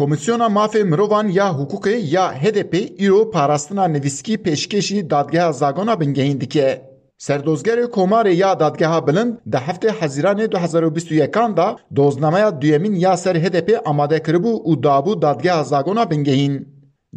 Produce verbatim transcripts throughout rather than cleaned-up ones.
Komîsyona Mafê Mirovan ya Hiqûqê ya H D P îro parastina nivîskî pêşkêşî Dadgeha Zagona Bingehîn dike. Serdozgerê Komarê ya Dadgeha Bilind di heftê Hezîranê du hezar û bîst û yekan de doznameya duyemîn ya ser H D P amade kiribû û dabû Dadgeha Zagona Bingehîn.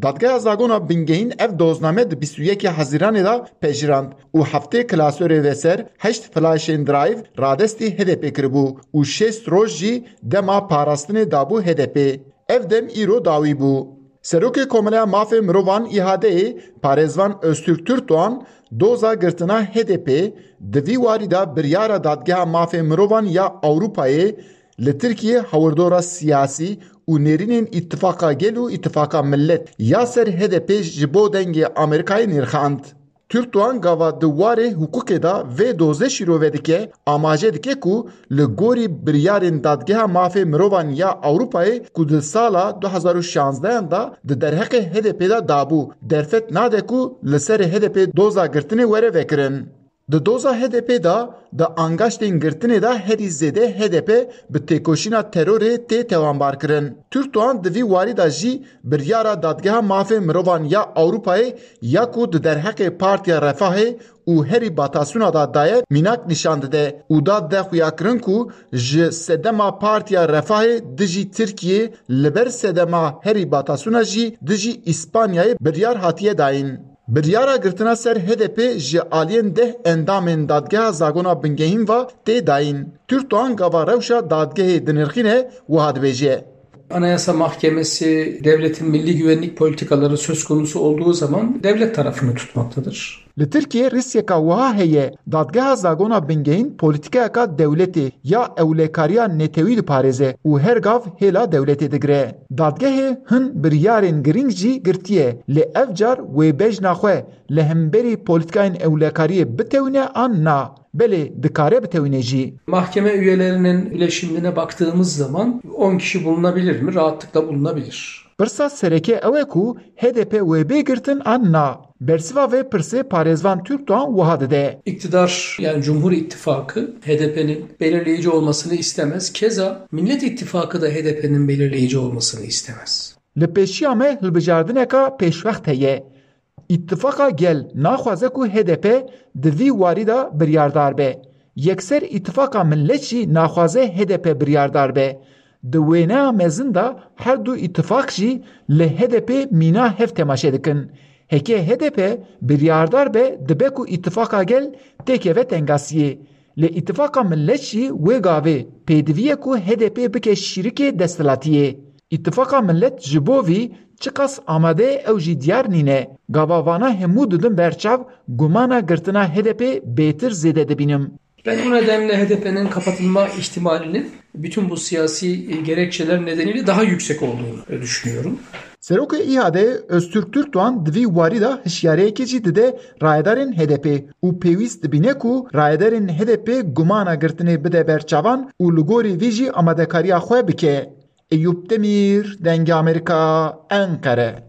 Dadgeha Zagona Bingehîn ev dozname di bîst û yekê Hezîranê de pejirand û heftê klasörê veser heşt flaşên drive radestî H D P kiribû û şêst roj jî dema parastinê dabû H D P. Ev dem îro dawî bû. Serokê Komeleya Mafê Mirovan îhadeyê parêzvan Öztürk Türkdoğan doza girtina H D P di vî warî de biryara Dadgeha Mafê Mirovan ya Ewropayê li Tirkiyê hawirdora siyasî û nêrînên Îtifaqa Gel û Îtifaqa Millet ya ser H D P ji bo dengê Amerîkayê nirxand. Türkdoğan gava di warê hiqûqê de vê dozê şîrove dike, amaje dike ku li gorî biryarên Dadgeha Mafê Mirovan ya Ewropayê ku di sala du hezar û şanzdehan de di derheqê H D P de dabû, derfet nade ku li ser H D P doza girtinê were vekirin. Di doza H D P de di angaştên girtinê de herî zêde H D P bi têkoşîna terorê tê tewanbarkirin. Türkdoğan di vî warî de jî biryara Dadgeha Mafê Mirovan ya Ewropayê ya ku di derheqê Partiya Refahê û herî batasûna de daye mînak nîşan dide û da de xuyakirin ku ji sedema Partiya Refahê dijî Tirkiyê li ber sedema herî batasûna jî dijî Îspanyayê biryar hatiye dayîn. Biryara girtina ser H D P ji aliyên deh endamên Dadgeha Zagona Bingehîn ve tê dayîn. Türkdoğan gava rewşa dadgehê dinirxîne, wiha dibêje. Anayasa Mahkemesi devletin milli güvenlik politikaları söz konusu olduğu zaman devlet tarafını tutmaktadır. Li Tirkiyê rîsyeka wiha heye, Dadgeha Zagona Bingehîn polîtîkayeka dewletê ya ewlekariya netewî diparêze û her gav hêla dewletê digire. Dadgehê hin biryarên girîng jî girtiye, lê ev car wê bejna xwe li hemberî polîtîkayên ewlekariyê bitewîne an na? Belê, dikare bitewîne jî. Mahkeme üyelerinin bileşimine baktığımız zaman on kişi bulunabilir mi? Rahatlıkla bulunabilir. Pirsa sereke ew e ku H D P wê bê girtin an na? Bersiva vê pirsê parêzvan Türkdoğan wiha dide. İktidar, yani Cumhur İttifakı H D P'nin belirleyici olmasını istemez. Keza Millet İttifakı da H D P'nin belirleyici olmasını istemez. Li pêşiya me hilbijardineka pêşwext heye. Îtifaqa Gel naxwaze ku H D P di vî warî de biryardar be. Yekser Îtifaqa Millet jî naxwaze H D P biryardar be. Di wêneya mezin de her du îtifaq jî li H D P mîna hev temaşe dikin. Heke H D P biryardar be, dibe ku Îtifaqa Gel têkeve tengasiyê. Lê Îtifaqa Millet jî wê gavê pêdivî ye ku H D P bike şîrikê desthilatiyê. Îtifaqa Millet ji bo vî çiqas amade ye ew jî diyar nîne. Gava vana hemû didin ber çav, gumana girtina H D P bêtir zêde dibînim. Ben bu nedenle H D P'nin kapatılma ihtimalinin bütün bu siyasi, e, gerekçeler nedeniyle daha yüksek olduğunu, e, düşünüyorum. Serokê İHAD'ê Öztürk Türkdoğan di vî warî de hişyariyekê jî dide rayedarên H D P û pêwîst dibîne ku rayedarên H D P gumana girtinê bide ber çavan û li gorî vî jî amadekariya xwe bike. Eyûp Demîr, Dengê Amerîka, Enqere.